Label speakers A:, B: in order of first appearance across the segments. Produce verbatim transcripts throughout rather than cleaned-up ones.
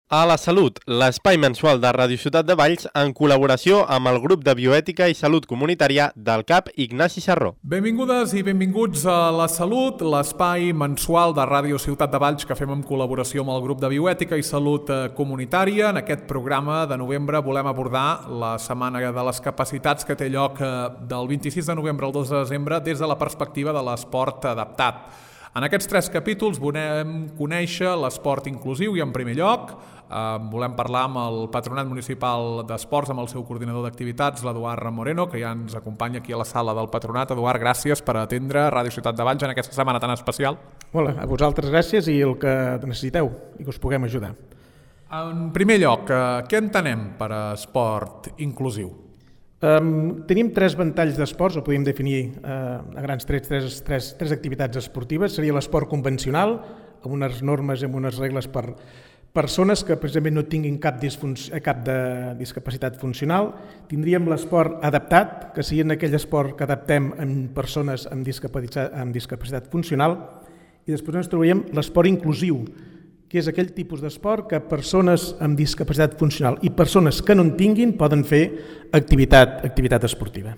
A: A la Salut, l'espai mensual de Ràdio Ciutat de Valls en col·laboració amb el grup de bioètica i salut comunitària del C A P Ignasi Sarró.
B: Benvingudes i benvinguts a La Salut, l'espai mensual de Ràdio Ciutat de Valls que fem en col·laboració amb el grup de bioètica i salut comunitària. En aquest programa de novembre volem abordar la Setmana de les Capacitats que té lloc del vint-i-sis de novembre al dos de desembre des de la perspectiva de l'esport adaptat. En aquests tres capítols volem conèixer l'esport inclusiu i en primer lloc eh, volem parlar amb el Patronat Municipal d'Esports, amb el seu coordinador d'activitats, l'Eduard Moreno, que ja ens acompanya aquí a la sala del Patronat. Eduard, gràcies per atendre Ràdio Ciutat de Valls en aquesta setmana tan especial.
C: Hola, a vosaltres gràcies i el que necessiteu i que us puguem ajudar.
B: En primer lloc, eh, què entenem per esport inclusiu?
C: Um, tenim tres ventalls d'esports, o podríem definir uh, a grans trets tres, tres, tres activitats esportives. Seria l'esport convencional, amb unes normes i amb unes regles per persones que precisament no tinguin cap, cap de discapacitat funcional. Tindríem l'esport adaptat, que seria aquell esport que adaptem en persones amb discapacitat, amb discapacitat funcional. I després ens trobaríem l'esport inclusiu, que és aquell tipus d'esport que persones amb discapacitat funcional i persones que no en tinguin poden fer activitat, activitat esportiva.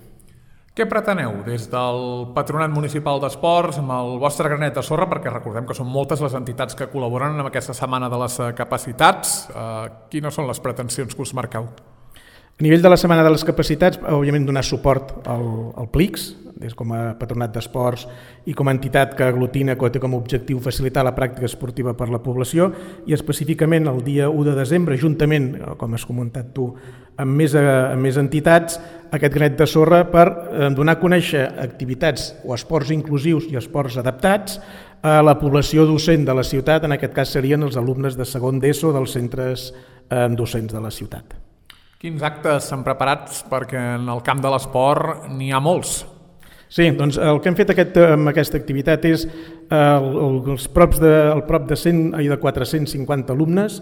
B: Què preteneu des del Patronat Municipal d'Esports amb el vostre granet de sorra, perquè recordem que són moltes les entitats que col·laboren en aquesta Setmana de les Capacitats? Eh, quines són les pretensions que us marqueu?
C: A nivell de la Setmana de les Capacitats, òbviament donar suport al, al P L I C S, des com a Patronat d'Esports i com a entitat que aglutina, que té com a objectiu facilitar la pràctica esportiva per la població, i específicament el dia u de desembre, juntament, com has comentat tu, amb més, amb més entitats, aquest granet de sorra per donar a conèixer activitats o esports inclusius i esports adaptats a la població docent de la ciutat. En aquest cas serien els alumnes de segon d'ESO dels centres docents de la ciutat.
B: Quins actes s'han preparat? Perquè en el camp de l'esport n'hi ha molts.
C: Sí, doncs el que hem fet aquest, amb aquesta activitat és eh, els props de, el prop de, cent, de quatre-cents cinquanta alumnes,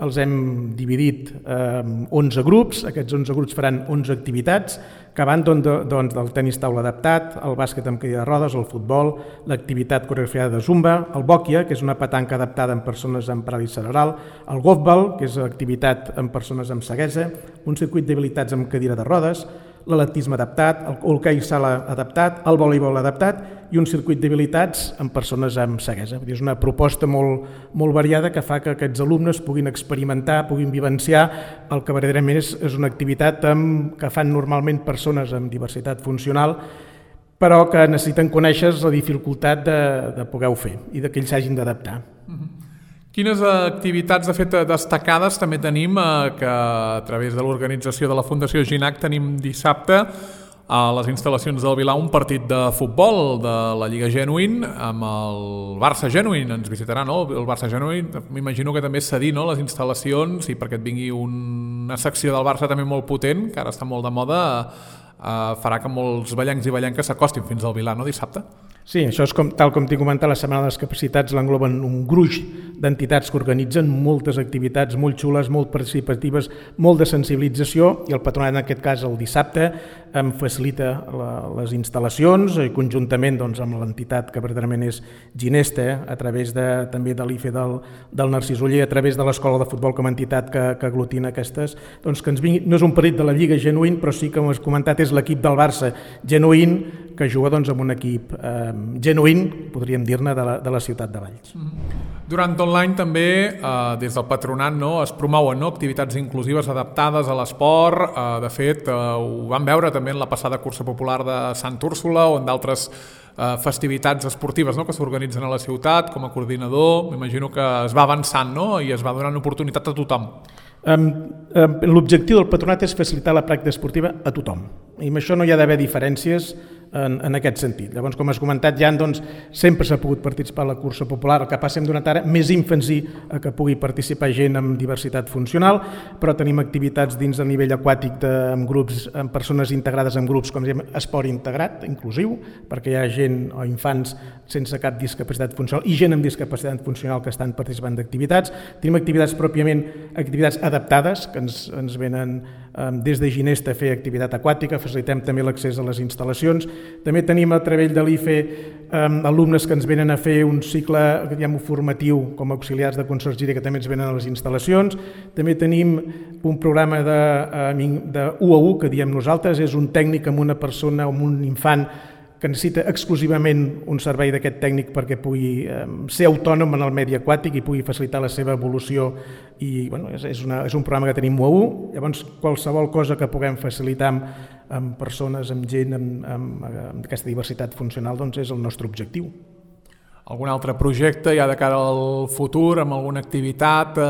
C: els hem dividit en eh, onze grups. Aquests onze grups faran onze activitats que van doncs, doncs, del tenis taula adaptat, el bàsquet amb cadira de rodes, el futbol, l'activitat coreografiada de zumba, el bòquia, que és una petanca adaptada en persones amb paràlisi cerebral, el golfball, que és activitat en persones amb ceguesa, un circuit d'habilitats amb cadira de rodes, l'atletisme adaptat, el hoquei sala adaptat, el voleibol adaptat i un circuit d'habilitats amb persones amb ceguesa. És una proposta molt, molt variada que fa que aquests alumnes puguin experimentar, puguin vivenciar el que verdaderament és, és una activitat amb, que fan normalment persones amb diversitat funcional, però que necessiten conèixer la dificultat de, de poder-ho fer i de que ells s'hagin d'adaptar.
B: Mm-hmm. Quines activitats, de fet, destacades també tenim eh, que a través de l'organització de la Fundació Ginac tenim dissabte a les instal·lacions del Vilar un partit de futbol de la Lliga Genuïn amb el Barça Genuïn. Ens visitarà, no? El Barça Genuïn, m'imagino que també és cedir, no?, les instal·lacions i perquè et vingui una secció del Barça també molt potent, que ara està molt de moda, eh, farà que molts ballencs i ballenques s'acostin fins al Vilar, no?, dissabte?
C: Sí, això és com, tal com t'he comentat, la Setmana de les Capacitats l'engloben un gruix d'entitats que organitzen moltes activitats molt xules, molt participatives, molt de sensibilització, i el Patronat, en aquest cas el dissabte, em facilita la, les instal·lacions i conjuntament doncs, amb l'entitat que verdaderament és Ginesta, eh, a través de, també de l'I F E del, del Narcís Oller, a través de l'Escola de Futbol com a entitat que, que aglutina aquestes, doncs que ens vingui, no és un partit de la Lliga Genuïn, però sí, com has comentat, és l'equip del Barça Genuïn, que juga doncs, amb un equip eh, genuïn, podríem dir-ne, de, la, de la ciutat de Valls.
B: Durant tot l'any també, eh, des del Patronat, no, es promouen, no, activitats inclusives adaptades a l'esport. Eh, de fet, eh, ho vam veure també en la passada cursa popular de Sant Úrsula o en d'altres eh, festivitats esportives, no, que s'organitzen a la ciutat. Com a coordinador, m'imagino que es va avançant, no, i es va donant oportunitat a tothom.
C: Um, um, L'objectiu del Patronat és facilitar la pràctica esportiva a tothom, i amb això no hi ha d'haver diferències en, en aquest sentit. Llavors, com has comentat, ja doncs, sempre s'ha pogut participar a la cursa popular. El que passa hem donat ara més èmfasi a que pugui participar gent amb diversitat funcional, però tenim activitats dins del nivell aquàtic de, amb grups, amb persones integrades en grups, com diem, esport integrat, inclusiu, perquè hi ha gent o infants sense cap discapacitat funcional i gent amb discapacitat funcional que estan participant d'activitats. Tenim activitats pròpiament, activitats adaptades, que ens, ens venen des de Ginesta a fer activitat aquàtica, facilitem també l'accés a les instal·lacions. També tenim a través de l'I F E alumnes que ens venen a fer un cicle diguem, formatiu com a auxiliars de consergeria que també ens venen a les instal·lacions. També tenim un programa de, de u a u que diem nosaltres, és un tècnic amb una persona o amb un infant que necessita exclusivament un servei d'aquest tècnic perquè pugui eh, ser autònom en el medi aquàtic i pugui facilitar la seva evolució i bueno, és, és, una, és un programa que tenim u a u, llavors qualsevol cosa que puguem facilitar amb, amb persones, amb gent, amb, amb, amb aquesta diversitat funcional doncs és el nostre objectiu.
B: Algun altre projecte ja de cara al futur, amb alguna activitat eh,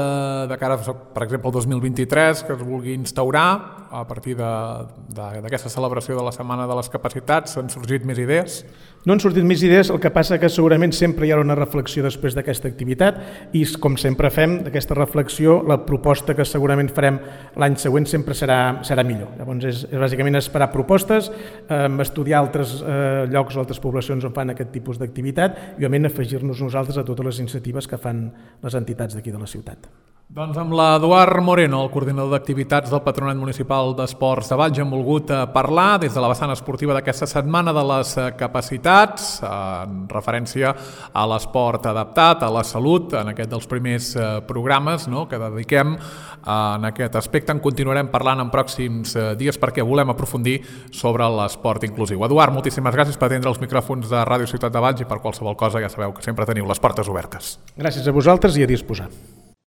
B: de cara, per exemple, al dos mil vint-i-tres que es vulgui instaurar a partir d'aquesta celebració de la Setmana de les Capacitats? Han sorgit més idees?
C: No han sortit més idees, el que passa que segurament sempre hi haurà una reflexió després d'aquesta activitat i com sempre fem d'aquesta reflexió, la proposta que segurament farem l'any següent sempre serà, serà millor. Llavors és, és bàsicament esperar propostes, eh, estudiar altres eh, llocs o altres poblacions on fan aquest tipus d'activitat i òbviament afegir-nos nosaltres a totes les iniciatives que fan les entitats d'aquí de la ciutat.
B: Doncs amb l'Eduard Moreno, el coordinador d'activitats del Patronat Municipal d'Esports de Valls, hem volgut parlar des de la vessant esportiva d'aquesta Setmana de les Capacitats, en referència a l'esport adaptat, a la salut, en aquest dels primers programes no, que dediquem en aquest aspecte. En continuarem parlant en pròxims dies perquè volem aprofundir sobre l'esport inclusiu. Eduard, moltíssimes gràcies per atendre els micròfons de Ràdio Ciutat de Valls i per qualsevol cosa ja sabeu que sempre teniu les portes obertes.
C: Gràcies a vosaltres i a disposar.